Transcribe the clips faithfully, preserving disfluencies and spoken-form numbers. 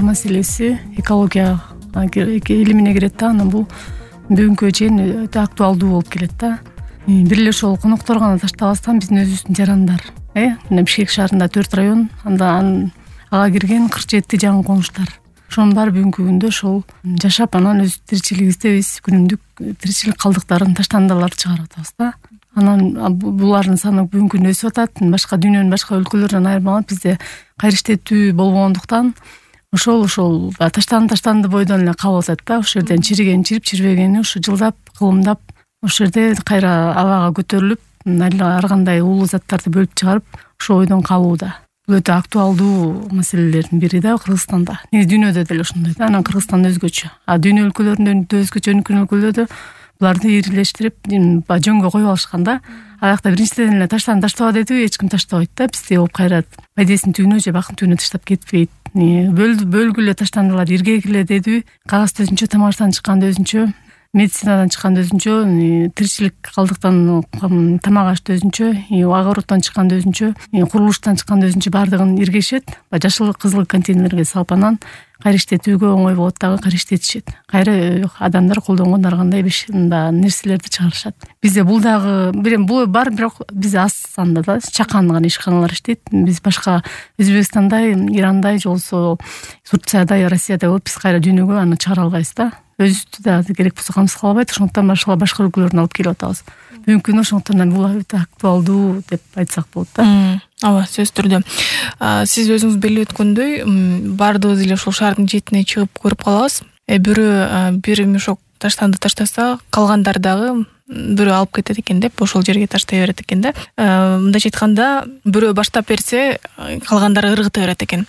таштандылар маселеси экология илимине кирет да. Анан бул бүгүнкү чейин өтө актуалдуу болуп келет да. Бир эле ошол коноктор гана таштабастан биздин өзүбүздүн жарандар, э мына Бишкек шаарында төрт район, анда ага кирген кырк жети жаңы конуштар. Ошонун баары бүгүнкү күндө ошол жашап, анан өз тиричилигибизде биз күнүмдүк тиричилик калдыктарын таштандыларды чыгарып атабыз да. Анан булардын саны бүгүнкү күндө өсүп атат. Башка дүйнөнүн башка өлкөлөрүнөн айырмаланып бизде кайра иштетүү болбогондуктан ошол ошол таштанды таштанды бойдон эле калып атат да. Ошол жерден чириген чирип, чирбегени ушу жылдап, кылымдап ошол жерде кайра абага көтөрүлүп, ар кандай уулуу заттарды бөлүп чыгарып, ошол бойдон калууда. Бул өтө актуалдуу маселелердин бири да Кыргызстанда. Негизи дүйнөдө деле ошондой да. Анан Кыргызстан өзгөчө. А дүйнө өлкөлөрүндө өзгөчө, өнүккөн өлкөлөрдө буларды ирилештирип, жөнгө коюп алышкан да. Аякта биринчиден эле таштан таштаба деди, эч ким таштабайт да. Бизде болуп кайра пайдесин түбүнө же бакын түбүнө таштап кетпейт. Бөлгүлө таштандылар иргегиле деди. Кагазды өзүнчө, тамактан чыкканды өзүнчө, медицинадан чыкканды өзүнчө, тиричилик калдыктан тамак ашты өзүнчө, огороттон чыкканды өзүнчө, курулуштан чыкканды өзүнчө баардыгын иргешет. Жашыл, кызыл контейнерге салып анан кайра иштетүүгө оңой болот дагы, кайра иштетишет. Кайра адамдар колдонгон ар кандай нерселерди чыгарышат. Бизде бул дагы бул бар, бирок бизде аз санда да чакан гана ишканалар иштейт. Биз башка Өзбекстандай, Ирандай же болбосо Турциядай, Россиядай болуп биз кайра дүйнөгө аны чыгара албайбыз да. Өзүбүздү да керек болсо камсыз кыла албайт. Ошондуктан башка башка өлкөлөрдөн алып келип атабыз. Бүгүнкү күндө ошондуктан бул өтө актуалдуу деп айтсак болот да. Ооба, сөзсүз түрдө. Сиз өзүңүз белип өткөндөй, баардыгыбыз эле ушул шаардын четине чыгып көрүп калабыз. Бирөө бир мешок таштанды таштаса, калгандар дагы бирөө алып кетет экен деп ошол жерге таштай берет экен да. Мындайча айтканда, бирөө баштап берсе, калгандары ыргыта берет экен.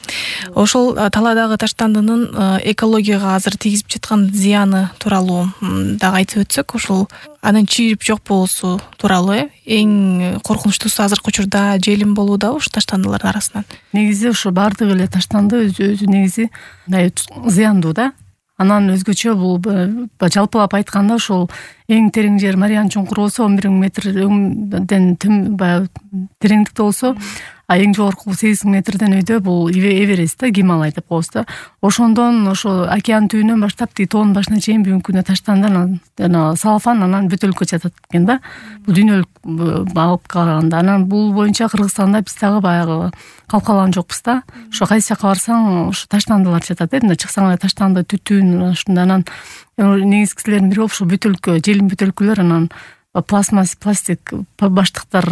Ошол талаадагы таштандынын экологияга азыр тийгизип жаткан зыяны тууралуу дагы айтып өтсөк, ошол анын чийип жок болуусу тууралуу э эң коркунучтуусу азыркы учурда желим болууда ушу таштандылардын арасынан. Негизи ошо баардык эле таштанды өзү негизи мындай зыяндуу да. Анан өзгөчө бул жалпылап айтканда ошол эң терең жер Мариан чуңкуру болсо он бир миң метрден баягы тереңдикте болсо, а эң жогорку сегиз миң метрден өйдө бул Эверест да, Гималай деп коебуз да. Ошондон ошо океан түбүнөн баштап тиги тоонун башына чейин бүгүнкү күндө таштанды, жана салфан, анан бөтөлкө жатат экен да. Бул дүйнөлүк алып караганда. Анан бул боюнча Кыргызстанда биз дагы баягы калкаланган жокпуз да. Ошо кайсы жака барсаң, ошо таштандылар жатат э. Мына чыксаң эле таштанды түтүн, ушундай. Анан негизгилердин бири ошо бөтөлкө, желим бөтөлкөлөр, анан пластмасс, пластик баштыктар,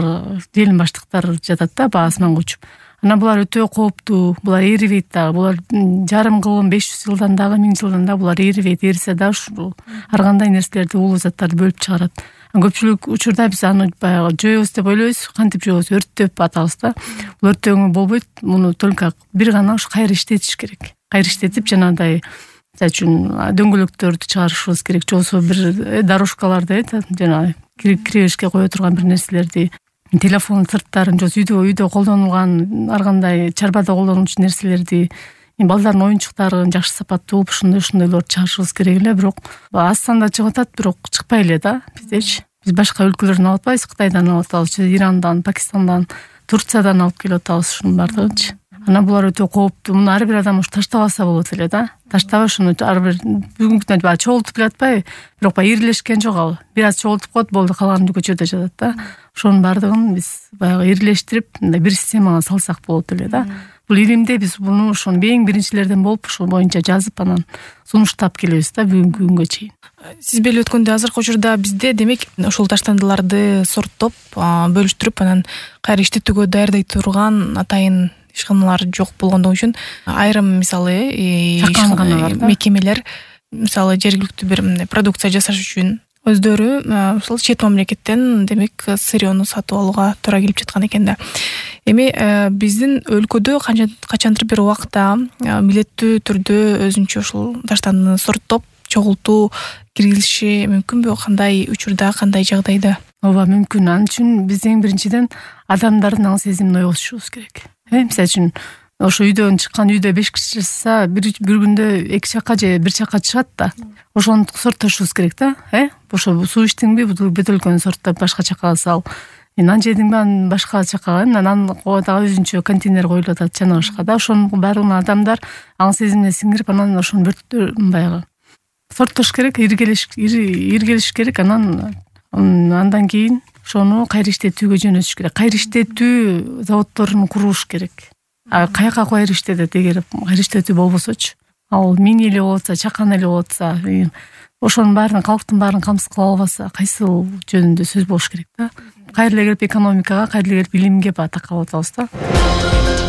желим баштыктар жатат да, баа асманга учуп. Анан булар өтө кооптуу, булар эрибейт дагы. Булар жарым кылым беш жүз жылдан дагы, миң жылдан дагы булар эрибейт. Эрисе да ушул ар кандай нерселерди, уулуу заттарды бөлүп чыгарат. Көпчүлүк учурда биз аны баягы жоебуз деп ойлойбуз, кантип жоебуз, өрттөп атабыз да. Бул өрттөгөнгө болбойт. Муну только бир гана ушу кайра иштетиш керек. Кайра иштетип, жанагындай мисалы үчүн дөңгөлөктөрдү чыгарышыбыз керек, же болбосо бир дорожкаларды, жана киребешке кое турган бир нерселерди, телефон сырттарын, же үйдө үйдө колдонулган ар кандай чарбада колдонулчу нерселерди, балдардын оюнчуктарын жакшы сапаттуу ушундай ушундайларды чыгарышыбыз керек эле. Бирок аз санда чыгып атат, бирок чыкпай эле да биздечи. Биз башка өлкөлөрдөн алып атпайбыз, Кытайдан алып атабыз, Ирандан, Пакистандан, Турциядан алып келип атабыз ушунун баардыгынчы. Анан булар өтө кооптуу. Муну ар бир адам ушу таштабаса болот эле да. Таштабай ушуну ар бир бүгүнкү күндө баягы чогултуп келе атпайбы? Бирок баягы ирилешкен жок ал. Бир аз чогултуп коет, болду, калганы көчөдө жатат да. Ошонун баардыгын биз баягы ирилештирип, мындай бир системага салсак болот эле да. Бул илимде биз буну ошону эң биринчилерден болуп, ошол боюнча жазып, анан сунуштап келебиз да бүгүнкү күнгө чейин. Сиз белип өткөндөй, азыркы учурда бизде демек ошол таштандыларды сорттоп, бөлүштүрүп, анан кайра иштетүүгө даярдай турган атайын ишканалар жок болгондугу үчүн айрым мисалы мекемелер мисалы жергиликтүү бир продукция жасаш үчүн өздөрү ушул чет мамлекеттен демек сырьёну сатып алууга туура келип жаткан экен да. Эми биздин өлкөдө качандыр бир убакта милдеттүү түрдө өзүнчө ушул таштандыны сорттоп, чогултуу киргизиши мүмкүнбү? Кандай учурда, кандай жагдайда? Ооба, мүмкүн. Ал үчүн биз эң биринчиден адамдардын аң сезимин ойготушубуз керек. Э, мисалы үчүн ошо үйдөн чыккан, үйдө беш киши жашаса, бир бир күндө эки чакка же бир чакка чыгат да. Ошону сорттошубуз керек да, э? Ошо суу ичтиңби, бөтөлкөнү сорттоп башка чакка сал. нан жедиңби анан башка жакка анан дагы өзүнчө контейнер коюлуп атат жана башка да. Ошонун баардыгын адамдар аң сезимине сиңирип, анан ошону бир баягы сорттош керек, иргелеш иргелеш керек. Анан андан кийин ошону кайра иштетүүгө жөнөтүш керек. Кайра иштетүү заводдорун куруш керек. А каяка кайра иштетет эгер кайра иштетүү болбосочу? Ал мини эле болуп атса, чакан эле болуп атса, ошонун баарын, калктын баарын камсыз кыла албаса, кайсыл жөнүндө сөз болуш керек да. Кайра эле келип экономикага, кайра эле келип билимге такалып атабыз да.